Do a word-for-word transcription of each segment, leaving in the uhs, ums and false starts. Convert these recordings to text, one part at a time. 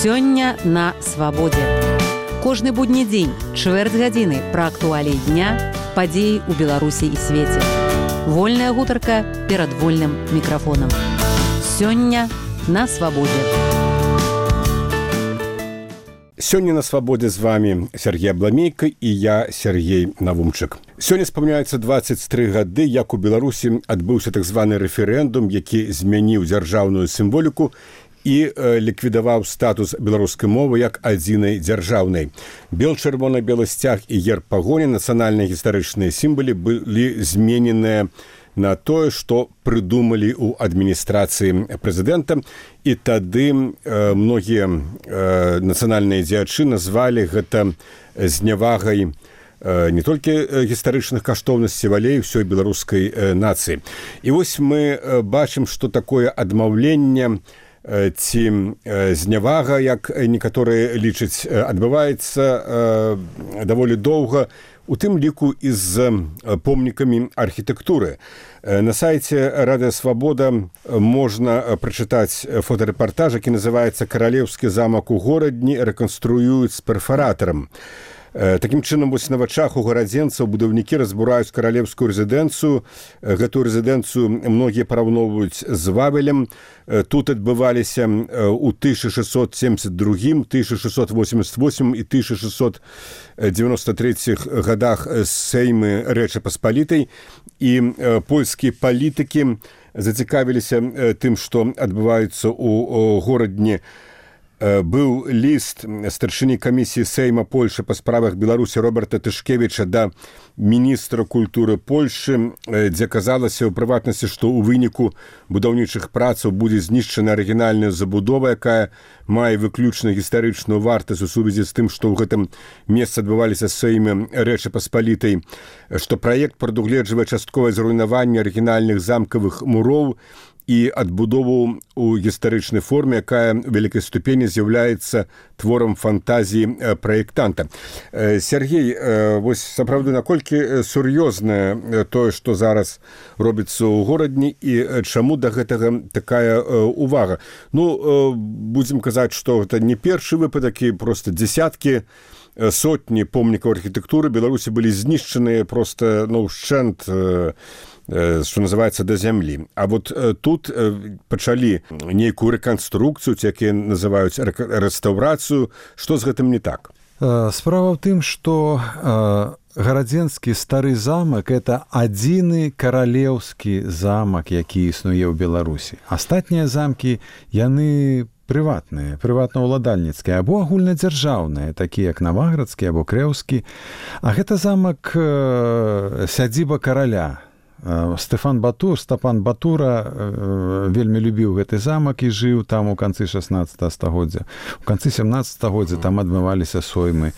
Сёння на свабодзе. Кожны будні дзень, чвэрць гадзіны пра актуаліі дня, падзеі ў Беларусі і свеце. Вольная гутарка перад вольным мікрафонам. Сёння на свабодзе. Сёння на свабодзе з вами Сергей Абламейка і я, Сергей Навумчык. Сёння спаміняецца дваццаць тры гады, як у Беларусі адбыўся так званы рэферэндум, які змяніў дзяржаўную сімволіку і э, ліквідаваў статус беларускай мовы як адзінай дзяржаўнай. Бел-чырвона-белы сцяг і герб пагоні, нацыянальныя гістарычныя сімвалы былі змененыя на тое, што прыдумалі ў адміністрацыі прэзідэнта. І тады э, многія э, нацыянальныя дзеячы назвалі гэта знявагай э, не толькі гістарычных каштоўнасцей, але і ўсёй беларускай э, нацыі. І вось мы э, бачым, што такое адмаўленне ці знявага, як некаторыя лічаць, адбываецца даволі доўга, у тым ліку і з помнікамі архітэктуры. На сайце Радыё Свабода можна прачытаць фотарэпартаж, які называецца «Каралеўскі замак у горадні рэканструююць з перфаратарам». Такім чынам, вось на вачах у гарадзенцаў будаўнікі разбураюць каралеўскую рэзідэнцыю. Гэтую рэзідэнцыю многія параўноўваюць з Вавелем. Тут адбываліся ў тысяча шэсцьсот сем'дзесят другім, тысяча шэсцьсот восемьдесят восьмым і тысяча шэсцьсот девяносто трэцім гадах Сеймы Рэчы Паспалітай. І польскія палітыкі зацікавіліся тым, што адбываецца ў горадні. Быў ліст старшыні камісіі Сейма Польшы па справах Беларусі Роберта Тышкевіча да міністра культуры Польшы, дзе казалася ў прыватнасці, што ў выніку будаўнічых працаў будзе знішчана арыгінальная забудова, якая мае выключна гістарычную вартасць у сувязі з тым, што ў гэтым месцы адбываліся Сеймы Рэчы Паспалітай, што праект прадугледжвае частковае зруйнаванне арыгінальных замкавых муроў і адбудову ў гістарычнай форме, якая ў вялікай ступені з'яўляецца творам фантазіі праектанта. Сергей, вось сапраўды, наколькі сур'ёзнае тое, што зараз робіцца ў горадні, і чаму да гэтага такая увага? Ну, будзем казаць, што гэта не першы выпадак, і проста дзесяткі, сотні помнікаў архітэктуры Беларусі былі знішчаныя проста, ну, ўшчэнт, што называецца, да зямлі. А вот тут пачалі нейкую рэканструкцыю, ці якія называюць рэстаўрацыю. Што з гэтым не так? Справа ў тым, што гарадзенскі стары замак – это адзіны каралеўскі замак, які існуе ў Беларусі. Астатнія замкі, яны прыватныя, прыватнаўладальніцкія, або агульнадзяржаўныя, такія як Наваградскі або Крэўскі. А гэта замак сядзіба караля. Стэфан Батур, Стапан Батура вельмі любіў гэты замак і жыў там у канцы шаснаццатага стагоддзя. У канцы сямнаццатага стагоддзя там адбываліся соймы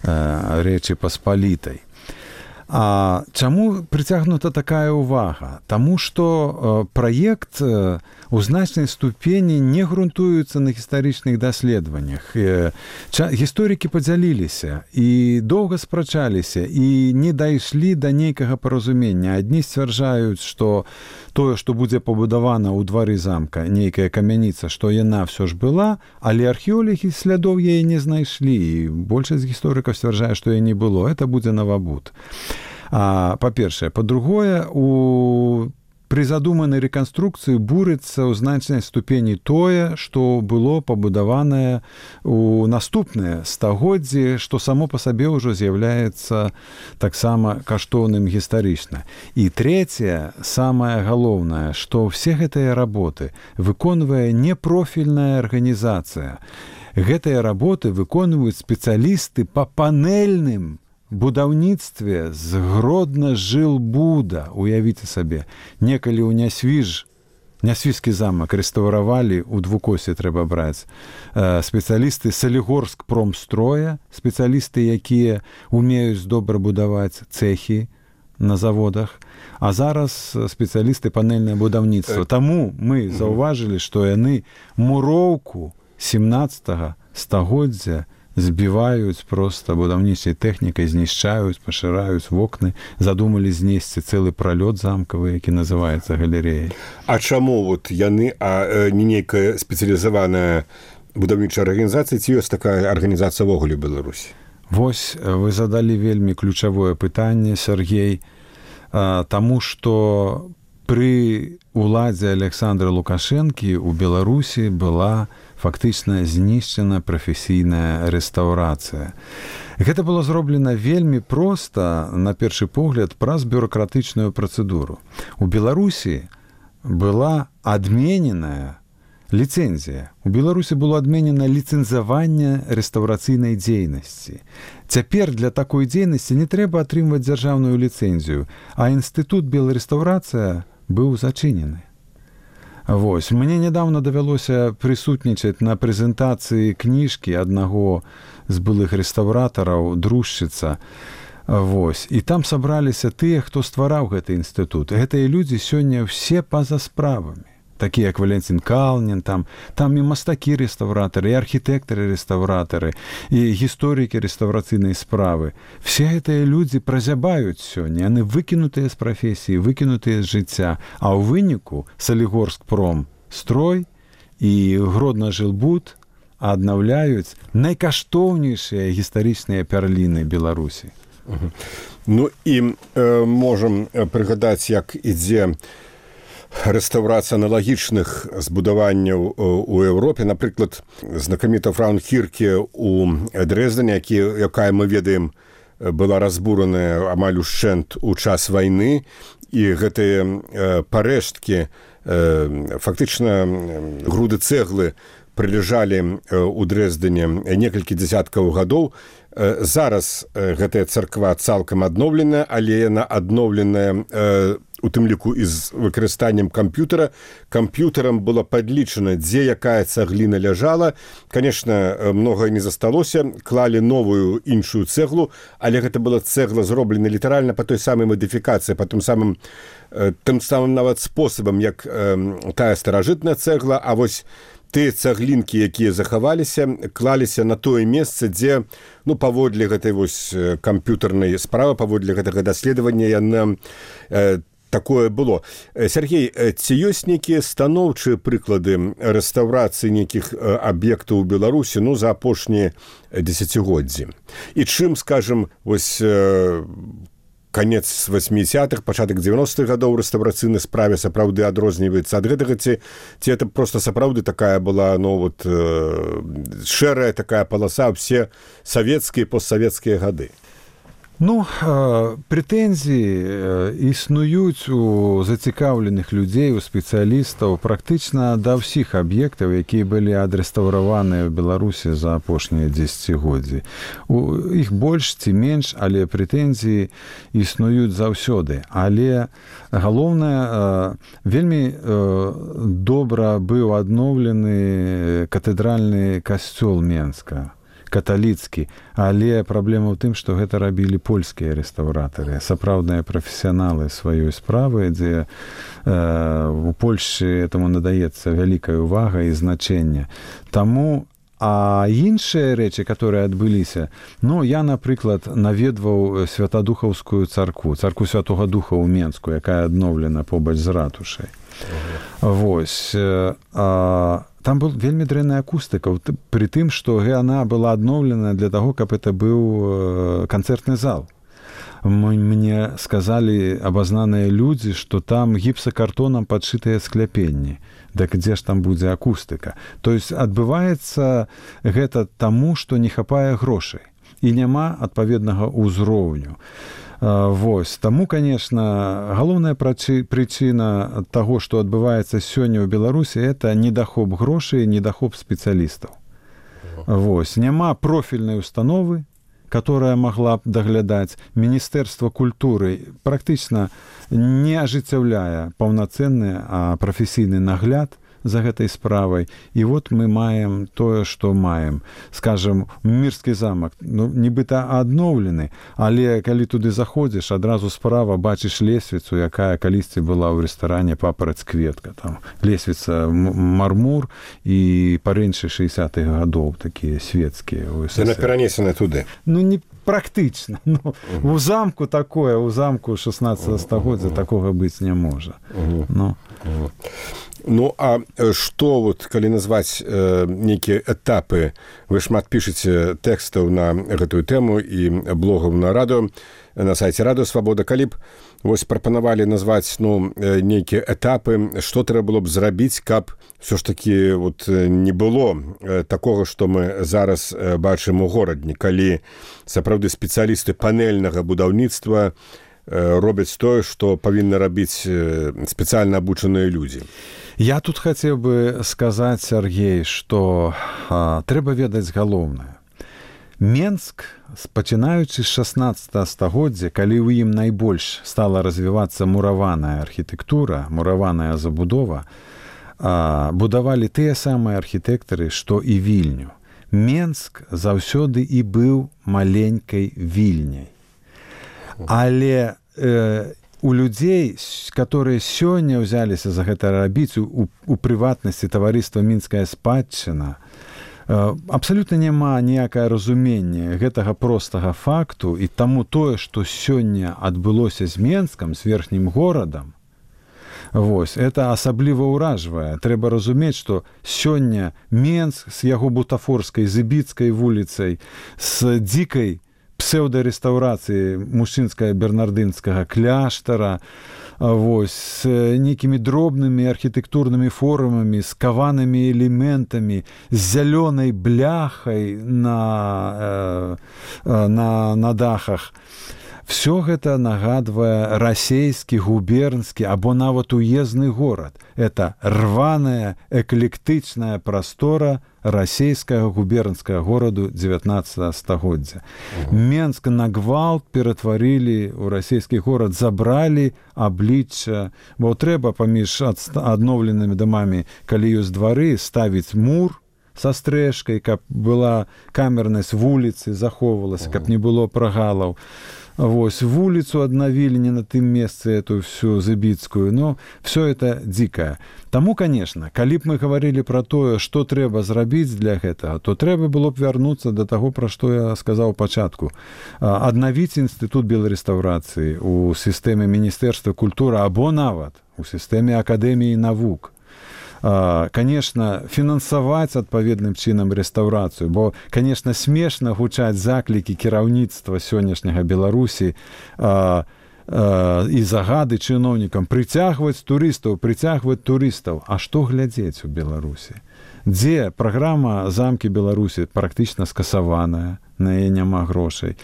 Рэчы Паспалітай. А чаму прыцягнута такая ўвага? Таму што праект у значнай ступені не грунтуецца на гістарычных даследаваннях. Гісторыкі падзяліліся і доўга спрачаліся і не дайшлі да нейкага паразумення. Адні сцвярджаюць, што тое, што будзе пабудавана ў двары замка, нейкая камяніца, што яна ўсё ж была, але археолагі слядоў яе не знайшлі. І большасць гісторыкаў сцвярджае, што яе не было. Это будзе навабуд. А, па-першае. Па-другое, у пры задуманай рэканструкцыі бурыцца ў значнай ступені тое, што было пабудаванае ў наступныя стагоддзі, што само па сабе ўжо з'яўляецца таксама каштоўным гістарычна. І трэцяе, самае галоўнае, што ўсе гэтыя работы выконвае непрофільная арганізацыя. Гэтыя работы выконваюць спецыялісты па панельным будаўніцтве з Гродна-Жылбуда. Уявіце сабе, некалі ў Нясвіж, Нясвіжскі замак рэстаўравалі, у двукосе трэба браць, спецыялісты Салігорск промстроя, спецыялісты, якія умеюць добра будаваць цэхі на заводах, а зараз спецыялісты панельнае будаўніцтва. Таму мы заўважылі, што яны муроўку сямнаццатага стагоддзя збіваюць проста будаўнічай тэхнікай, знішчаюць, пашыраюць вокны, задумалі знесці цэлы пралёт замкавы, які называецца галерэяй. А чаму вот яны, а не нейкая спецыялізаваная будаўнічай арганізацыі, ці ёсць такая арганізацыя ўвогуле ў Беларусі? Вось вы задалі вельмі ключавое пытанне, Сергей, таму што пры уладзе Александра Лукашэнкі ў Беларусі была фактычна знішчана прафесійная рэстаўрацыя. Гэта было зроблена вельмі проста, на першы погляд, праз бюракратычную працэдуру. У Беларусі была адмененая ліцэнзія. У Беларусі было адменена ліцэнзаванне рэстаўрацыйнай дзейнасці. Цяпер для такой дзейнасці не трэба атрымваць дзяржаўную ліцэнзію, а інстытут беларэстаўрацыя быў зачынены. Вось. Мне нядаўна давялося прысутнічаць на прэзентацыі кніжкі аднаго з былых рэстаўратараў, дружчыца. Вось. І там сабраліся тыя, хто ствараў гэты інстытут. Гэтыя людзі сёння ўсе па-за справамі. Такія, як Валентин Калнін, там, там і мастакі-рэстаўратары, і архітэктары-рэстаўратары, і гісторыкі рэстаўрацыйнай справы. Все гэтыя людзі празябаюць сёння, яны выкінутыя з прафесіі, выкінутыя з жыцця, а ў выніку Салігорскпром строй і Гродна-Жылбуд аднаўляюць найкаштоўнейшыя гістарычныя пярліны Беларусі. Угу. Ну і э, можам прыгадаць, як ідзе рэстаўрацыя аналагічных збудаванняў у Еўропе. Напрыклад, знакаміта Фраункірке ў Дрэздане, які, якая, мы ведаем, была разбураная амаль ушчэнт у час вайны, і гэтыя э, парэшткі, э, фактычна груды цэглы прылежалі ў Дрэздане некалькі дзясяткаў гадоў. Э, зараз э, гэтая царква цалкам адноўленая, але яна адноўленая э, у тым ліку і з выкарыстаннем камп'ютара. Камп'ютарам было падлічана, дзе якая цагліна ляжала. Канешне, многае не засталося, клалі новую іншую цэглу, але гэта была цэгла зроблена літаральна па той самай мадыфікацыі, па тым самым, тым самым нават спосабам, як тая старажытная цэгла, а вось тыя цаглінкі, якія захаваліся, клаліся на тое месца, дзе, ну, паводле гэтай вось камп'ютарнай справы, паводле гэтага даследавання яна э, такое было. Сергей, ці ёсць нейкія станоўчыя прыклады рэстаўрацыі нейкіх аб'ектаў у Беларусі, ну, за апошнія дзесяцігоддзі? І чым, скажем, вось канец васьмідзесятых, пачатак дзевяностых гадоў рэстаўрацыйнай справе сапраўды адрозніваецца ад гэтага, ці, ці это проста сапраўды такая была, ну, вот, э, шэрая такая паласа ўсе савецкія і постсавецкія гады? Ну, прэтэнзіі існуюць у зацікаўленых людзей, у спецыялістаў практычна да ўсіх аб'ектаў, якія былі адрэстаўраваныя ў Беларусі за апошнія дзесяцігоддзі. У іх больш ці менш, але прэтэнзіі існуюць заўсёды. Але галоўнае, вельмі добра быў адноўлены катэдральны касцёл Менска, каталіцкі, але праблема ў тым, што гэта рабілі польскія рэстаўратары, сапраўдныя прафесіяналы сваёй справы, дзе э, у Польшчы этому надаецца вялікая ўвага і значэнне. Таму, а іншыя рэчы, которые адбыліся, ну, я, напрыклад, наведваў святадухаўскую царкву, царкву Святога Духа ў Менску, якая адноўлена побач з ратушай. Вось. А, там был вельмі дрэнная акустыка, пры тым, што яна была адноўлена для таго, каб это быў канцэртны зал. Мне сказалі абазнаныя людзі, што там гіпсакартонам падшытыя скляпенні. Так дзе ж там будзе акустыка? То есть адбываецца гэта таму, што не хапае грошай і няма адпаведнага ўзроўню. Вось. Таму, конечно, галоўная прычына таго, што адбываецца сёння ў Беларусі, это недахоп грошай, недахоп спецыялістаў. Вось. Няма профільнай установы, которая могла б даглядаць. Міністэрства культуры практычна не ажыццяўляе паўнацэнны, а прафесійны нагляд за гэтай справай. І вот мы маем тое, што маем. Скажем, Мірскі замак, ну, нібыта адноўлены, але калі туды заходзіш, адразу справа бачыш лесвіцу, якая калісьці была ў рэстаране «Папараць кветка». Там лесвіца мармур і парэнчы шэсцідзятых гадоў, такія светскія. Яна перанесена туды? Ну, не практычна. Ну, у замку такое, у замку шаснаццатага стагоддзя такога быць не можа. Ну. Ну, а што, вот, калі назваць э, нейкія этапы, вы шмат пішаце тэкстаў на гэтую тэму і блогаў на радыё, на сайце Радыё Свабода, калі б вось прапанавалі назваць, ну, нейкія этапы, што трэба было б зрабіць, каб ўсё ж такі вот не было такога, што мы зараз бачым у горадні, калі сапраўды спецыялісты панельнага будаўніцтва робяць тое, што павінны рабіць спецыяльна абучаныя людзі. Я тут хацеў бы сказаць, Сергей, што а, трэба ведаць галоўнае. Менск, пачынаючы з шаснаццатага стагоддзя, калі ў ім найбольш стала развівацца мураваная архітэктура, мураваная забудова, а, будавалі тыя самыя архітэктары, што і Вільню. Менск заўсёды і быў маленькай Вільняй. Але э, у людзей, которые сёння ўзяліся за гэта рабіць, у, у прыватнасці таварыства «Мінская спадчына», э, абсалютна няма ніякае разуменне гэтага простага факту, і таму тое, што сёння адбылося з Менскам, з верхнім горадам, вось, это асабліва ўражвае. Трэба разумець, што сёння Менск з яго бутафорскай, зыбіцкай вуліцай, з дзікай псеўдарэстаўрацыі мужчынскага бернардынскага кляштара, вось, з нейкімі дробнымі архітэктурнымі формамі, з каванымі элементамі, з зялёнай бляхай на, на, на дахах. Всё гэта нагадвае расейскі, губернскі або нават уездны горад. Это рваная, эклектычная прастора расейскага губернскага гораду дзевятнаццатага стагоддзя. Uh-huh. Менск на гвалт ператварылі ў расейскі горад, забралі аблічча, бо трэба паміж адноўленымі дамамі, калі ёсць двары, ставіць мур са стрэшкай, каб была камернасць вуліцы, захоўвалася, uh-huh. каб не было прагалаў. Вось, вуліцу аднавілі не на тым месцы эту всю зыбіцкую, но все это дзікае. Таму, конечно, калі б мы гаварылі пра тое, што трэба зрабіць для гэтага, то трэба было б вярнуцца да таго, пра што я сказаў у пачатку. Аднавіць інстытут беларэстаўрацыі у сістэме Міністэрства культуры або нават у сістэме Акадэміі навук. Конечно, фінансаваць адпаведным чынам рэстаўрацыю, бо, конечно, смешна гучаць заклікі кіраўніцтва сённяшняга Беларусі а, а, і загады чыноўнікам прыцягваць турыстаў, прыцягваць турыстаў. А што глядзець у Беларусі? Дзе праграма «Замкі Беларусі» практычна скасаваная, на яе няма грошай.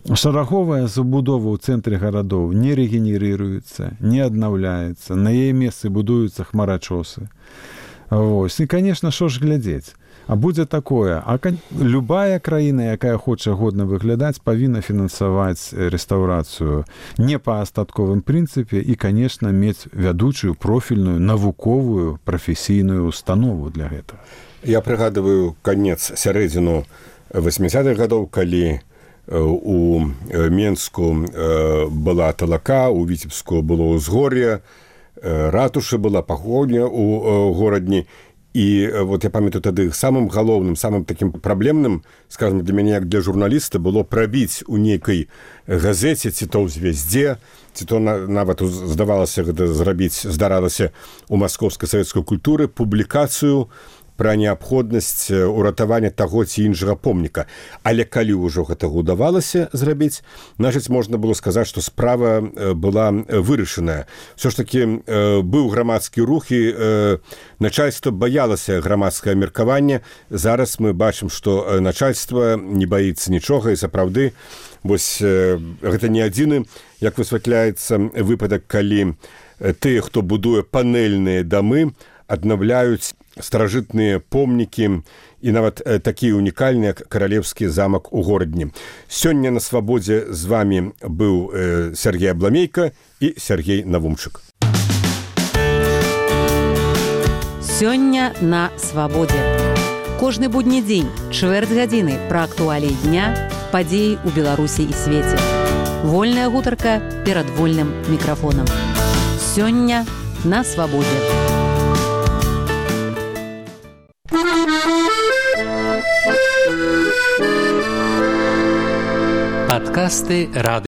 Шараговая забудова ў цэнтры гарадоў не рэгенерыруецца, не аднаўляецца, на яе месцы будуюцца хмарачосы. Вось. І, конечно, што ж глядзець? А будзе такое, а любая краіна, якая хоча годна выглядаць, павінна фінансаваць рэстаўрацыю не па астатковым прынцыпе і, конечно, мець вядучую профільную навуковую прафесійную установу для гэтага. Я прыгадываю канец сярэдзіну восьмідзесятых гадоў, калі у Менску была талака, у Віцебску было ўзгор'е, ратуша была, пагоня у горадні. І вот я памятаю тады самым галоўным, самым такім праблемным, скажем, для мяне, як для журналіста, было прабіць у нейкай газеце, ці то ў «Звездзе», ці то нават здавалася гэта зрабіць, здаралася у маскоўскай савецкай культуры публікацыю пра неабходнасць уратавання таго ці іншага помніка. Але калі ўжо гэтага ўдавалася зрабіць, значыць, можна было сказаць, што справа была вырашаная. Всё ж такі быў грамадскі рух, і начальства баялася грамадскае меркаванне. Зараз мы бачым, што начальства не баіцца нічога, і сапраўды, вось гэта не адзіны, як высвятляецца выпадак, калі тыя, хто будуе панельныя дамы, аднаўляюць старажытныя помнікі і нават такія унікальныя, як каралеўскі замак у горадні. Сёння на Свабодзе з вами быў Сергей Абламейка і Сергей Навумчык. Сёння на Свабодзе. Кожны будні дзень, чвэрць гадзіны пра актуаліі дня, падзеі ў Беларусі і свеце. Вольная гутарка перад вольным мікрафонам. Сёння на Свабодзе. Подкасты «Радио».